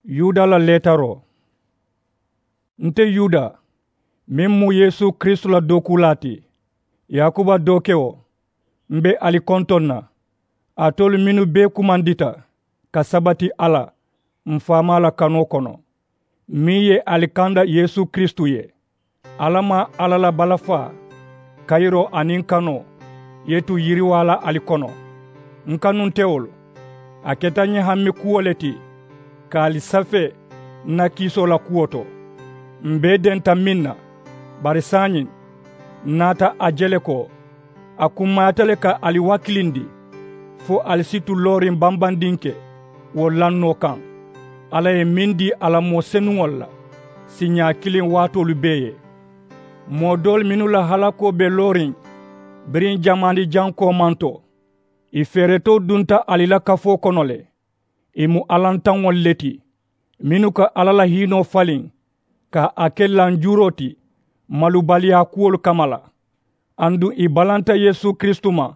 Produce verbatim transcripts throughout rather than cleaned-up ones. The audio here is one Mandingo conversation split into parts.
Yuda la leetaroo. Nte yuda, meŋ mu yeesu kiristu la dookuulaa ti, yaakuba dookewo, m be ali kontoŋ na, alitolu mennu bee kumandita ka sabati alla m faamaa la kanoo kono, meŋ ye ali kanda yeesu kiristu ye. Alla maŋ alla la balafaa, kayiroo aniŋ kanoo ye tu yiriwaa la ali kono. N kanuntewolu, a keta ǹ ye hami kuwo le ti ka ali safee ǹ na kiisoo la kuwo to. M bee denta meŋ na, bari saayiŋ ǹ naata a je le ko a kummayata le ka ali wakilindi, fo ali si tu looriŋ bambandinke wo lannoo kaŋ alla ye meŋ dii a la moo senuŋolu la, siiñaa kiliŋ waatoolu bee ye. Moo doolu mennu la halakoo be looriŋ biriŋ jamaani jaŋ koomanto, ì feeretoo dunta ali la kafoo kono le. Ì mu alantaŋolu le ti, mennu ka alla la hiinoo faliŋ ka a ke lanjuuroo ti malubaliyaa kuwolu kamma la. Aduŋ ì balanta yeesu kiristu ma,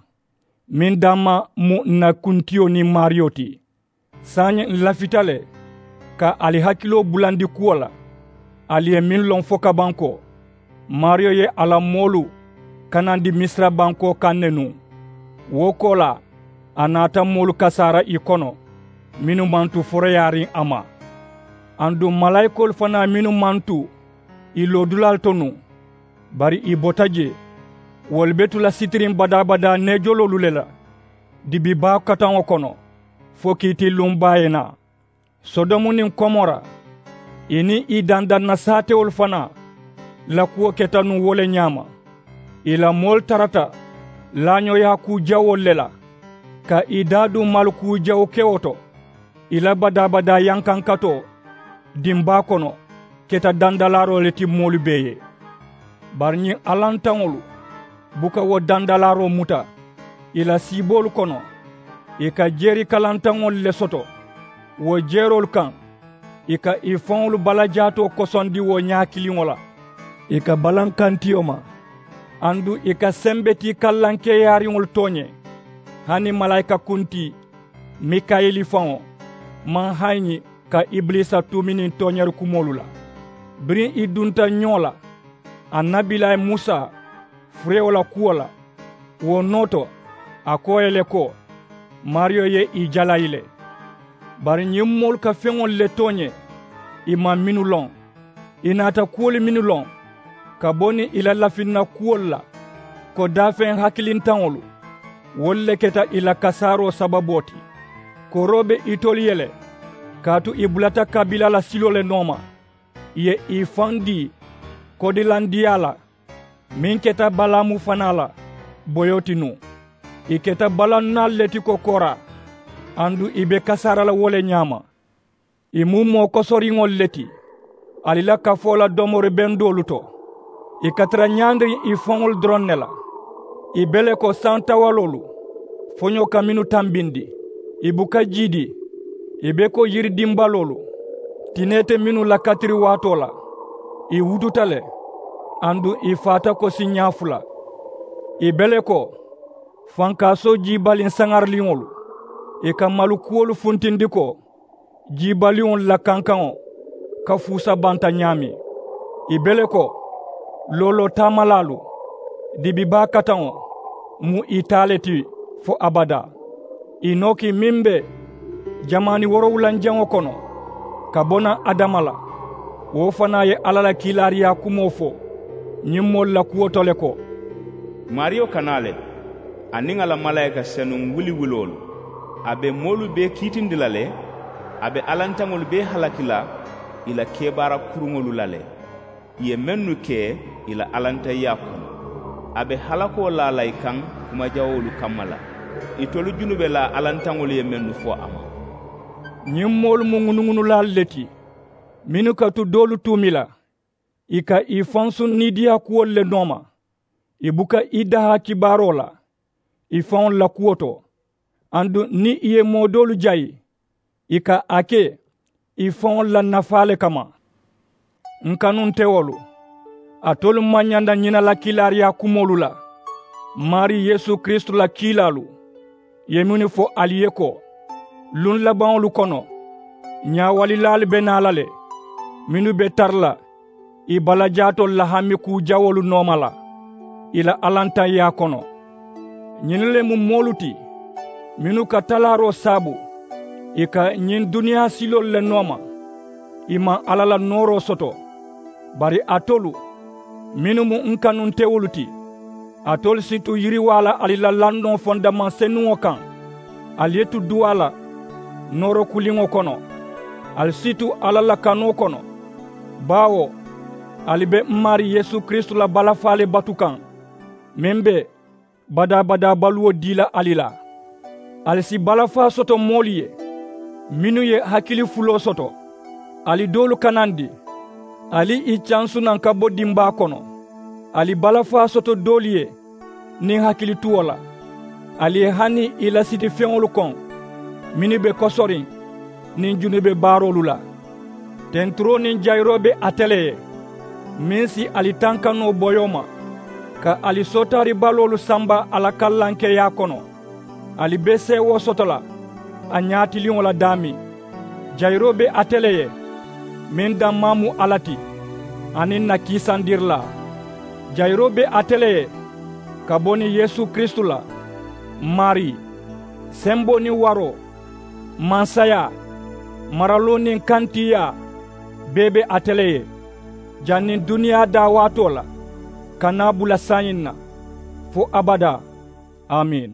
meŋ damma mu ǹ na kuntiyo niŋ maariyo ti. Saayiŋ ǹ lafita le ka ali hakiloo bulandi kuwo la, ali ye meŋ loŋ fokabaŋ ko maariyo ye a la moolu kanandi misira bankoo kaŋ ne nuŋ. Wo koolaa, a naata moolu kasaara ì kono mennu maŋ tu foroyaariŋ a ma. Aduŋ malaayikoolu fanaa mennu maŋ tu ì loodulaalu to nuŋ, bari ì bota jee, wolu be tu la sitiriŋ badaa-badaa neejoloolu le la dibi baa kataŋo kono, fo kiitiiluŋ baa ye naa. Sodomu niŋ komora, ì niŋ ì dandaŋ na saatewolu fanaa la kuwo keta nuŋ wo le ñaama. Ì la moolu tarata laañooyaa kuu jawoolu le la, ka ì daaduŋ maalu kuu jawu kewo to. Ì la badaa-badaa yankankatoo dimbaa kono keta dandalaaroo le ti moolu bee ye. Bari ñiŋ alantaŋolu buka wo dandalaaroo muta ì la siiboolu kono. Ì ka jeeri kalantaŋolu le soto wo jeeroolu kaŋ, ì ka ì faŋolu balajaatoo kosondi wo ñaa kiliŋo la. Ì ka balankantiyo ma, aduŋ ì ka sembetii kallankeeyaariŋolu tooñe. Hani malaayika kuntii mikayili faŋo maŋ hayiñi ka ibiliisa tuuminiŋ tooñaari kumoolu la. Biriŋ ì dunta ñoo la annabilayi musa furewo la kuwo la, wo noo to a ko ì ye le ko maariyo ye ì jalayi le. Bari ñiŋ moolu ka feŋolu le tooñe, ì maŋ mennu loŋ. Ì naata kuwolu mennu loŋ ka bo niŋ ì la lafinna kuwolu la, ko daafeŋ hakilintaŋolu, wolu le keta ì la kasaaroo sababoo ti. Koroo be itolu ye le, kaatu ì bulata kabiila la siloo le nooma. Ì ye ì faŋ dii kodilandiyaa la, meŋ keta balaamu fanaa la boyoo ti nuŋ. Ì keta balannaalu le ti kokoora, aduŋ ì be kasaara la wo le ñaama. Ì mu moo kosoriŋolu le ti ali la kafoo la domori bendoolu to. Ì ka tara ñaandiriŋ ì faŋolu doroŋ ne la. Ì be le ko santawaloolu foñoo ka mennu tambindi. Ì buka jiidi. Ì be ko yiri dimbaloolu tinee te mennu la katiri waatoo la. Ì wututa le, aduŋ ì faata ko siiñaa fula. Ì be le ko fankaasoo jiibaliŋ saŋariliŋolu. Ì ka malu kuwolu funtindi ko jiibaliŋolu la kankaŋo ka fuusa banta ñaameŋ. Ì be le ko looloo taamalaalu dibi baa kataŋo mu ì taa le ti fo abadaa. Enoki meŋ be jamaani woorowulanjaŋo kono ka bo naŋ adama la, wo fanaa ye alla la kiilaariyaa kumoo fo ñiŋ moolu la kuwo to le ko, maariyo kana le, a niŋ a la malaayika senuŋ wuli-wuloolu. A be moolu bee kiitindi la le. A be alantaŋolu bee halaki la ì la kebaara kuruŋolu la le. Ì ye mennu ke ì la alantayiyaa kono, a be halakoo laa la ì kaŋ kumajawoolu kamma la. Itolu junubelaa alantaŋolu ye mennu fo a ma. Ñiŋ moolu mu ŋunuŋunulaalu le ti, mennu ka tu doolu tuumi la. Ì ka ì fansuŋ niidiyaa kuwolu le nooma. Ì buka ì dahaa kibaaroo la ì faŋolu la kuwo to. Aduŋ niŋ ì ye moo doolu jayi, ì ka a ke ì faŋolu la nafaa le kamma. N kanuntewolu, alitolu maŋ ñanda ñina la kiilaariyaa kumoolu la. Maarii yeesu kiristu la kiilaalu ye mennu fo ali ye ko, luŋ labaŋolu kono Ñaawalilaalu be naa la le, mennu be tara la ì balajaatoolu la hami kuu jawoolu nooma la ì la alantayaa kono. Ñinnu le mu moolu ti mennu ka talaaroo saabu ì ka ñiŋ duniyaa siloolu le nooma. Ì maŋ alla la nooroo soto. Bari alitolu mennu mu n kanuntewolu ti, alitolu si tu yiriwaa la ali la lannoo fondamaŋ senuŋo kaŋ. Ali ye tu duwaa la nooro kuliŋo kono. Ali si tu alla la kanoo kono, baawo ali be m maarii yeesu kiristu la balafaa le batu kaŋ, meŋ be badaa-badaa baluwo dii la ali la. Ali si balafaa soto moolu ye mennu ye hakili fuloo soto. Ali doolu kanandi, ali ì cansu naŋ ka bo dimbaa kono. Ali balafaa soto doolu ye niŋ hakilituwo la. Ali ye hani ì la sitifeŋolu koŋ mennu be kosoriŋ niŋ junube baaroolu la. Tenturoo niŋ jayiroo be ate le ye, meŋ si ali tankanoo boyoo ma, ka ali sootaari baloolu samba a la kallankeyaa kono. Ali be seewoo soto la a ñaatiliŋo la daameŋ. Jayiroo be ate le ye, meŋ dammaa mu alla ti, aniŋ na kiisandirilaa. Jayiroo be ate le ye ka bo niŋ yeesu kiristu la. Maarii, semboo niŋ waroo, mansayaa, maraloo niŋ kantiiyaa, bee be ate le ye, janniŋ duniyaa daawaatoo la ka naa bula saayiŋ na, fo abadaa. Amiin.